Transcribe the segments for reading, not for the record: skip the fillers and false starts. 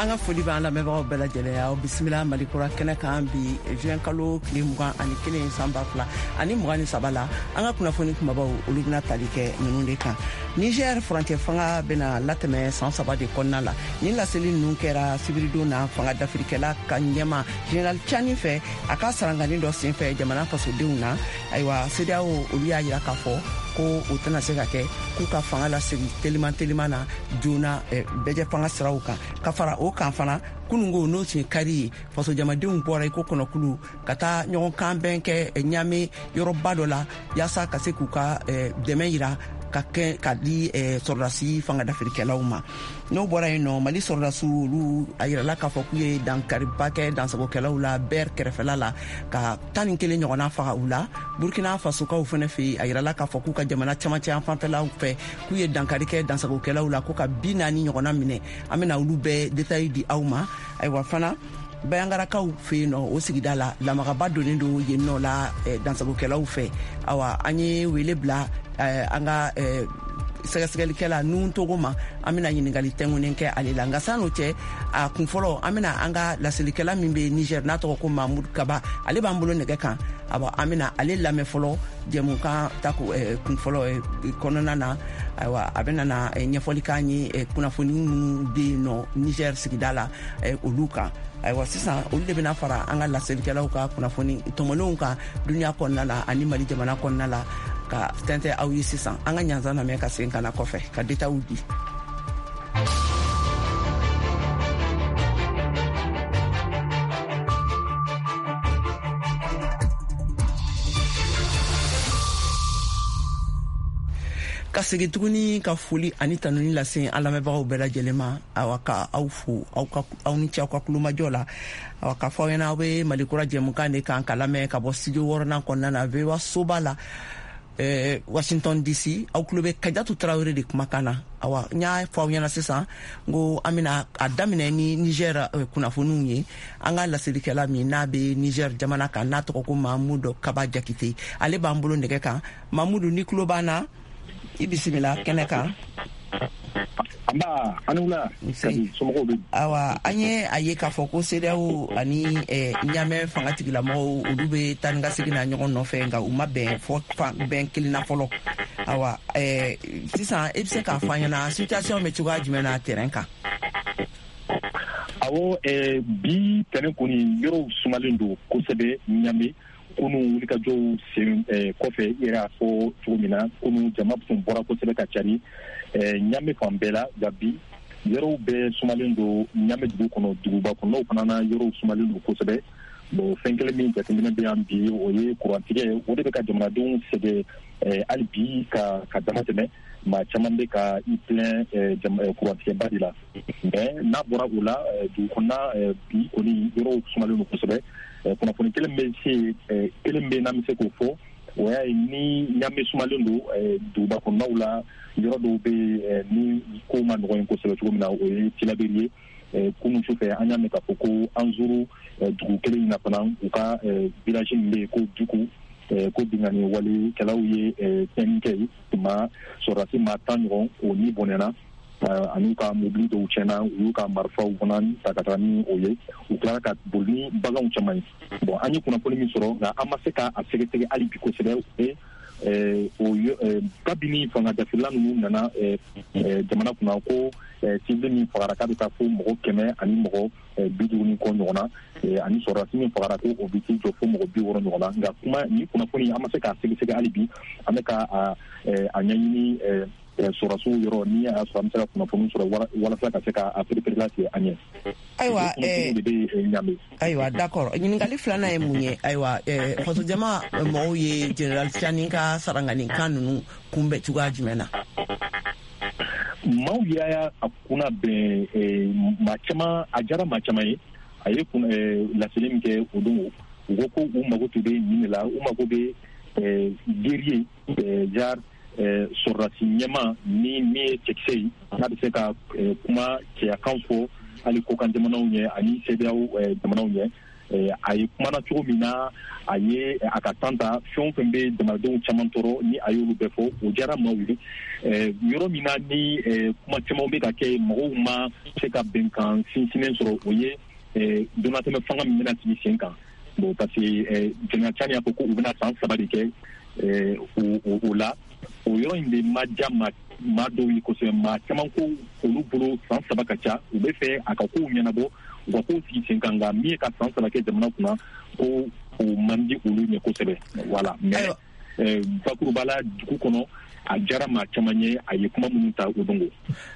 An ka foli b'an lamɛnbagaw bɛɛ lajɛlen aw bisimila Mali Kura kɛnɛ kan bi juin kalo tile 21 san 2023 la. An ka kunnafoni kumabaw, olu bɛna tali kɛ ninnu de kan. Niger furancɛ fanga bɛna latɛmɛ san 3 de kɔnɔna la. Nin laseli ninnu kɛra sibiridon na fanga dafirikɛla ka ɲɛma Général Tiani fɛ, a ka sarangani dɔ senfɛ jamana fasodenw na. Ayiwa, CEDEAO olu y'a yira k'a fɔ ko o tɛna se ka kɛ k'u ka fanga lasegin teliman teliman na joona bɛjɛ fanga siraw kan. Ka fara o kan fana, kunungo n'o tun ye kari ye, fasojamadenw bɔra i ko kɔnɔkulu ka taa ɲɔgɔn kan bɛn kɛ Ɲame yɔrɔba dɔ la, yaasa ka se k'u ka dɛmɛ yira ka kɛ ka di sɔrɔdasi fanga dafirikɛlaw ma. N'o bɔra yen nɔ, Mali sɔrɔdasiw olu a yirala k'a fɔ k'u ye dankariba kɛ dansagokɛlaw la Bɛr kɛrɛfɛla la, ka 11 ɲɔgɔnna faga u la. Burkina Fasokaw fɛnɛ fɛ yen, a yirala k'a fɔ k'u ka jamana camancɛ yan fanfɛlaw fɛ, k'u ye dankari kɛ dansagokɛlaw la, ko ka 40 ɲɔgɔnna minɛ. An bɛna olu bɛɛ détail di aw ma. Ayiwa fana, Bayangarakaw fɛ yen nɔ, o sigida la, lamagaba donnen don yen nɔ la dansagokɛlaw fɛ. Awa, an ye wele bila an ka sɛgɛsɛgɛlikɛla nun togo ma, an bɛna ɲininkali tɛnkunnen kɛ ale la. Nka san'o cɛ, a kun fɔlɔ, an bɛna an ka laselikɛla min bɛ Niger, n'a tɔgɔ ko Mahmoud Kaba, ale b'an bolo nɛgɛ kan. Awa, an bɛna ale lamɛn fɔlɔ jɛmukan ta kun fɔlɔ kɔnɔna na. Ayiwa, a bɛna na ɲɛfɔli k'an ye kunnafoni minnu bɛ yen nɔ Niger sigida la, olu kan. Ayiwa, sisan olu de bɛna fara an ka laselikɛlaw ka kunnafoni tɔmɔlenw kan duniya kɔnɔna la ani Mali jamana kɔnɔna la, ka tɛntɛ aw ye. Sisan an ka ɲanzan lamɛn ka segin ka na kɔfɛ ka détails di. Ka segin tuguni ka foli ani tanuni lase an lamɛnbagaw bɛɛ lajɛlen ma. Awa, ka aw fo, aw ka aw ni ce aw ka kulomajɔ la. Awa, k'a fɔ aw ɲɛna, aw bɛ Mali Kura jɛmukan de kan ka lamɛn ka bɔ studio wɔɔrɔnan kɔnɔna na, VOA soba la, Washington DC. Aw tulo bɛ Kajatu Tarawele de kumakan na. Awa, n y'a fɔ aw ɲɛna sisan n ko an bɛna a daminɛ ni Niger kunnafoniw ye. An ka laselikɛla min n'a bɛ Niger jamana kan, n'a tɔgɔ ko Mamudu Kaba Jakite, ale b'an bolo nɛgɛ kan. Mamudu, ni tulo b'an na, i bisimila kɛnɛ kan. Nba, ani wula. Somɔgɔw bɛ? Awa, an ye a ye k'a fɔ ko CEDEAO ani Ɲamɛ fanga tigilamɔgɔw, olu bɛ taa ni ka segin na ɲɔgɔn nɔfɛ, nka u ma bɛn fɔ bɛn kelen na fɔlɔ. Awa, sisan i bɛ se k'a fɔ an ɲɛna situation bɛ cogoya jumɛn na terrain kan? Awɔ, bi tɛnɛ kɔni, yɔrɔw sumalen don kosɛbɛ Ɲame kunu wulikajɔw sen kɔfɛ. I yɛrɛ y'a fɔ cogo min na, kunu jama tun bɔra kosɛbɛ ka cari Ɲame fan bɛɛ la. Nka bi, yɔrɔw bɛɛ sumalen don Ɲame dugu kɔnɔ, duguba kɔnɔnaw fana na, yɔrɔw sumalen don kosɛbɛ. Bon, fɛn kelen min jateminɛ bɛ yan bi, o ye kurantigɛ. O de bɛ ka jamanadenw sɛgɛn hali bi ka dama tɛmɛ. Maa caman bɛ ka i plaint kurantigɛba de la. Mais n'a bɔra o la, dugu kɔnɔna bi kɔni, yɔrɔw sumalen don kosɛbɛ. Kunnafoni kelen bɛ se kelen bɛ n'an bɛ se k'o fɔ, o y'a ye ni Ɲame sumalen don, duguba kɔnɔnaw la, yɔrɔ dɔw bɛ yen ni kow ma nɔgɔn kosɛbɛ cogo min na, o ye Tilaberi ye. Kunun sufɛ, an y'a mɛn k'a fɔ ko Anzuru dugu kelen in na fana, u ka village min bɛ yen ko Duku, ko binkanni walekɛlaw ye tiɲɛni kɛ yen. Maa sɔrɔdasi maa 10 ɲɔgɔn o ni bɔnɛna, ani ka mobili dɔw tiɲɛna. U y'u ka marifaw fana ta ka taga ni o ye. U tilara ka boli ni baganw caman ye. Bon, an ye kunnafoni min sɔrɔ, nka an ma se ka a sɛgɛsɛgɛ hali bi kosɛbɛ, o kabini fanga dafirila ninnu nana jamana kunna, ko civil min fagara k'a bɛ taa fo mɔgɔ 150 ni kɔ ɲɔgɔn na, ani sɔrɔdasi min fagara ko o bɛ t'i jɔ fo mɔgɔ 60 ɲɔgɔn na. Nka kuma ni kunnafoni, an ma se k'a sɛgɛsɛgɛ hali bi. An bɛ ka a ɲɛɲini sɔrɔdasiw yɔrɔ, ni a y'a sɔrɔ an bɛ se ka kunnafoni sɔrɔ walasa ka se ka perepere latigɛ an ɲɛ. Ayiwa. De bɛ Ɲame. Ayiwa, d'accord. Ɲininkali filanan ye mun ye? Ayiwa, fasojama mɔgɔw ye général Tiani ka saranganikan ninnu kunbɛn cogoya jumɛn na? Maaw y'a a kunna bɛn maa caman, a diyara maa caman ye. A ye laseli min kɛ o don, u ko ko u mago tun bɛ nin de la. U mago bɛ guerrier, genre sɔrɔdasi ɲɛma ni min ye cɛkisɛ ye, n'a bɛ se ka kuma cɛyakan fɔ hali kokan jamanaw ɲɛ ani CEDEAO jamanaw ɲɛ. A ye kumana cogo min na, a ye a ka tan ta, fɛn o fɛn bɛ jamanadenw caman tɔɔrɔ, ni a y'olu bɛɛ fɔ, o diyara maaw ye. Yɔrɔ min na ni kuma caman bɛ ka kɛ, mɔgɔw ma se ka bɛnkan sinsinnen sɔrɔ, o ye donnatɛmɛ fanga min bɛna sigi sen kan. Bon, parce que général Tiani y'a fɔ ko u bɛna san 3 de kɛ o la. O yɔrɔ in de ma diya maa dɔw ye kosɛbɛ. Maa caman ko olu bolo san 3 ka ca, u bɛ fɛ a ka kow ɲɛnabɔ, u ka kow sigi sen kan, nka min ye ka san 3 kɛ jamana kunna, ko o man di olu ɲɛ kosɛbɛ. Voilà, mais bakuruba la, dugu kɔnɔ, a diyara maa caman ye, a ye kuma minnu ta o dongo.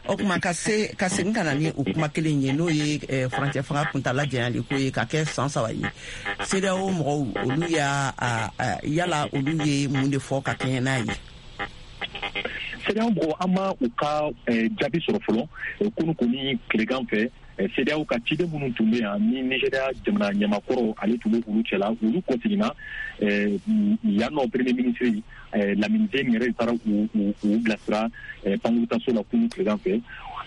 O tuma, ka se ka segin ka na ni o kuma kelen ye, n'o ye furancɛ fanga kuntala janyali ko ye ka kɛ san 3 ye, CEDEAO mɔgɔw, olu y'a yala olu ye mun de fɔ ka kɛɲɛ n'a ye? CEDEAO mɔgɔw, an ma u ka jaabi sɔrɔ fɔlɔ. Kunu kɔni tilegan fɛ, CEDEAO ka ciden minnu tun bɛ yan, ni Nigéria jamana ɲɛmakɔrɔ ale tun bɛ olu cɛla, olu kɔseginna yan nɔ. Premier ministre Lamine Zeine yɛrɛ taara u bilasira pankurutaso la kunu tilegan fɛ.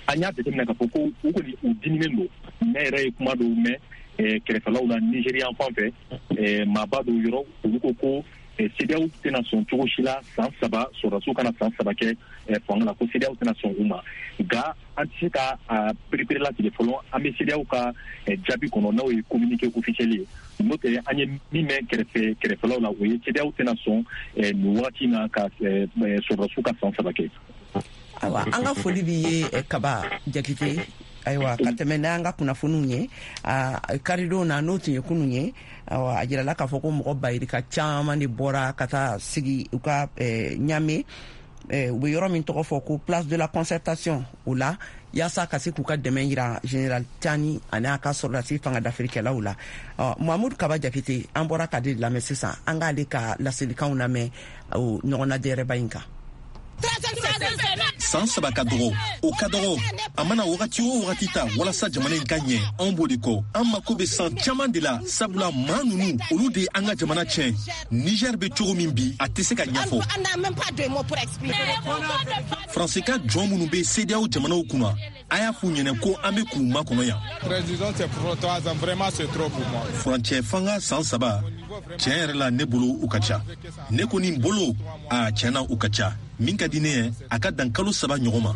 An y'a jateminɛ k'a fɔ ko u kɔni, u diminen don. Ne yɛrɛ ye kuma dɔw mɛn kɛrɛfɛlaw la Nigéria fan fɛ, maaba dɔw yɔrɔ, olu ko ko CEDEAO tɛna sɔn cogo si la san 3, sɔrɔdasiw kana san 3 kɛ fanga la, ko CEDEAO tɛna sɔn u ma. Nka an tɛ se ka perepere latigɛ fɔlɔ, an bɛ CEDEAO ka jaabi kɔnɔ, n'o ye communiqué officiel ye. N'o tɛ, an ye min mɛn kɛrɛfɛlaw la, o ye CEDEAO tɛna sɔn nin wagati na ka sɔrɔdasiw ka san 3 kɛ. Ayiwa, an ka foli b'i ye, Kaba Jakite. Ayiwa, ka tɛmɛ n'an ka kunnafoniw ye, karidon na, n'o tun ye kunun ye, ayiwa, a jirala k'a fɔ ko mɔgɔ bayirika caman de bɔra ka taa sigi u ka Ɲame, u bɛ yɔrɔ min tɔgɔ fɔ ko Place de la Concertation, o la, yaasa ka se k'u ka dɛmɛ yira général Tiani ani a ka sɔrɔdasi fanga dafirikɛlaw la. Mamudu Kaba Jakite, an bɔra ka de lamɛn sisan, an k'ale ka laselikanw lamɛn o ɲɔgɔnnajɛrɛba in kan. San 3 ka dɔgɔ, o ka dɔgɔ. A mana wagati o wagati ta walasa jamana in ka ɲɛ, anw b'o de kɔ. An mako bɛ san caman de la, sabula maa ninnu, olu de ye an ka jamana tiɲɛ. Niger bɛ cogo min bi, a tɛ se ka ɲɛfɔ. Faransi ka jɔn minnu bɛ CEDEAO jamanaw kunna, a y'a f'u ɲɛnɛ ko an bɛ k'u makɔnɔ yan. Furancɛ fanga san 3, tiɲɛ yɛrɛ la, ne bolo u ka ca. Ne kɔni bolo, a tiɲɛ na, u ka ca. Min ka di ne ye, a ka dan kalo 3 ɲɔgɔn ma.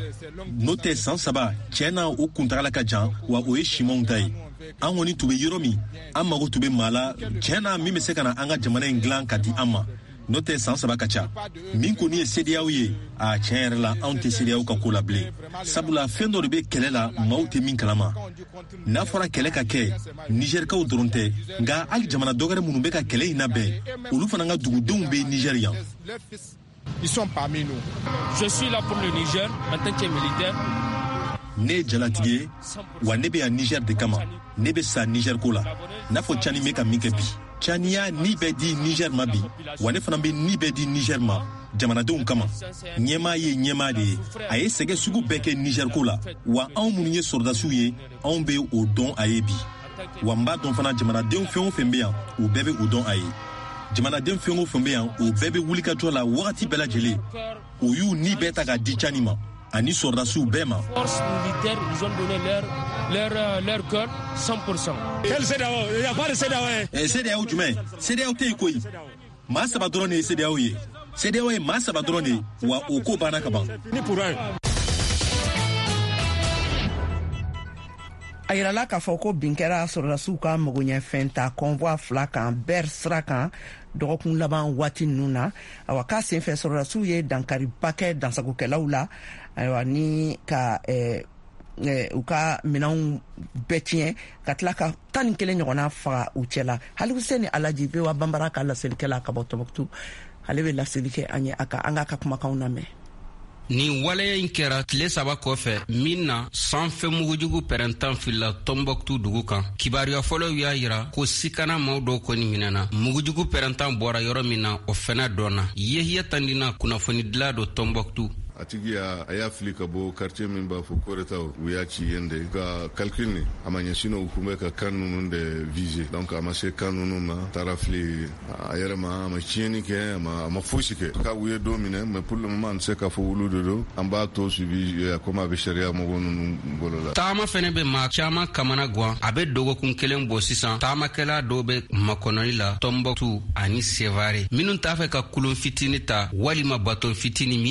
N'o tɛ, san 3, tiɲɛ na, o kuntagala ka jan, wa o ye simanw ta ye. An kɔni tun bɛ yɔrɔ min, an mago tun bɛ maa la, tiɲɛ na, min bɛ se ka na an ka jamana in dilan ka di an ma. N'o tɛ, san 3 ka ca. Min kɔni ye CEDEAO ye, a tiɲɛ yɛrɛ la, anw tɛ CEDEAO ka ko la bilen, sabula fɛn dɔ de bɛ kɛlɛ la, maaw tɛ min kalama. N'a fɔra kɛlɛ ka kɛ, Nizɛrikaw dɔrɔn tɛ, nka hali jamana dɔwɛrɛ minnu bɛ ka kɛlɛ in labɛn, olu fana ka dugudenw bɛ Nizɛri yan. Ils sont parmi nous. Je suis là pour le Niger en tant que militaire. Ne ye jalatigi ye, wa ne bɛ yan Niger de kama. Ne bɛ sa Niger ko la, n'a fɔ Tiani bɛ ka min kɛ bi. Tiani y'a ni bɛɛ di Niger ma bi, wa ne fana bɛ ni bɛɛ di Niger ma jamanadenw kama. Ɲɛmaa ye ɲɛmaa de ye. A ye sɛgɛ sugu bɛɛ kɛ Niger ko la, wa anw minnu ye sɔrɔdasiw ye, anw bɛ o dɔn a ye bi. Wa n b'a dɔn fana, jamanadenw fɛn o fɛn bɛ yan, u bɛɛ bɛ o dɔn a ye. Jamanaden fɛn o fɛn bɛ yan, o bɛɛ bɛ wulikajɔ la wagati bɛɛ lajɛlen. O y'u ni bɛɛ ta k'a di Tiani ma ani sɔrɔdasiw bɛɛ ma. Force militaire, ils ont donné leur cœur 100%. Quel CEDEAO? Il n'y a pas de CEDEAO. CEDEAO jumɛn? CEDEAO tɛ yen koyi. Maa 3 dɔrɔn de ye CEDEAO ye. CEDEAO ye maa 3 dɔrɔn de ye, wa o ko banna ka ban. Ni pour un. A yirala k'a fɔ ko bin kɛra sɔrɔdasiw ka magoɲɛfɛn ta convoi fila kan Ber sira kan dɔgɔkun laban waati ninnu na. Awa, k'a senfɛ, sɔrɔdasiw ye dankariba kɛ dansagokɛlaw la, ayiwa, ni ka u ka minɛnw bɛɛ tiɲɛ, ka tila ka 11 ɲɔgɔnna faga u cɛla. Hali Alaji, VOA Banbara ka laselikɛla ka bɔ Tɔnbɔkutu, ale bɛ laseli kɛ an ye a ka an k'a ka kumakanw lamɛn. Nin waleya in kɛra tile 3 kɔfɛ min na sanfɛ mugujugu pɛrɛntan filila Tɔnbɔkutu dugu kan. Kibaruya fɔlɔw y'a yira ko sikana maaw dɔw kɔni minɛna. Mugujugu pɛrɛntan bɔra yɔrɔ min na, o fɛnɛ dɔnna. Yehiya Tandina, kunnafonidila don Tɔnbɔkutu. A tigi y'a a y'a fili ka bɔ quartier min b'a fɔ Koretaw, u y'a ci yen de ka calcul ni a ma ɲɛ, sinon u kun bɛ ka camp ninnu de viser. Donc a ma se camp ninnu ma, taara fili a yɛrɛ ma, a ma tiɲɛni kɛ, a ma fosi kɛ. Ka u ye don minɛ, mais pour le moment an tɛ se k'a fɔ olu de don. An b'a to suivi komi a bɛ sariya mɔgɔw ninnu bolo la. Taama fɛnɛ bɛ maa caman kamana guwan. A bɛ dɔgɔkun kelen bɔ sisan, taamakɛla dɔw bɛ makɔnɔli la Tɔnbɔkutu ani Sevare, minnu t'a fɛ ka kulon fitini ta walima baton fitini.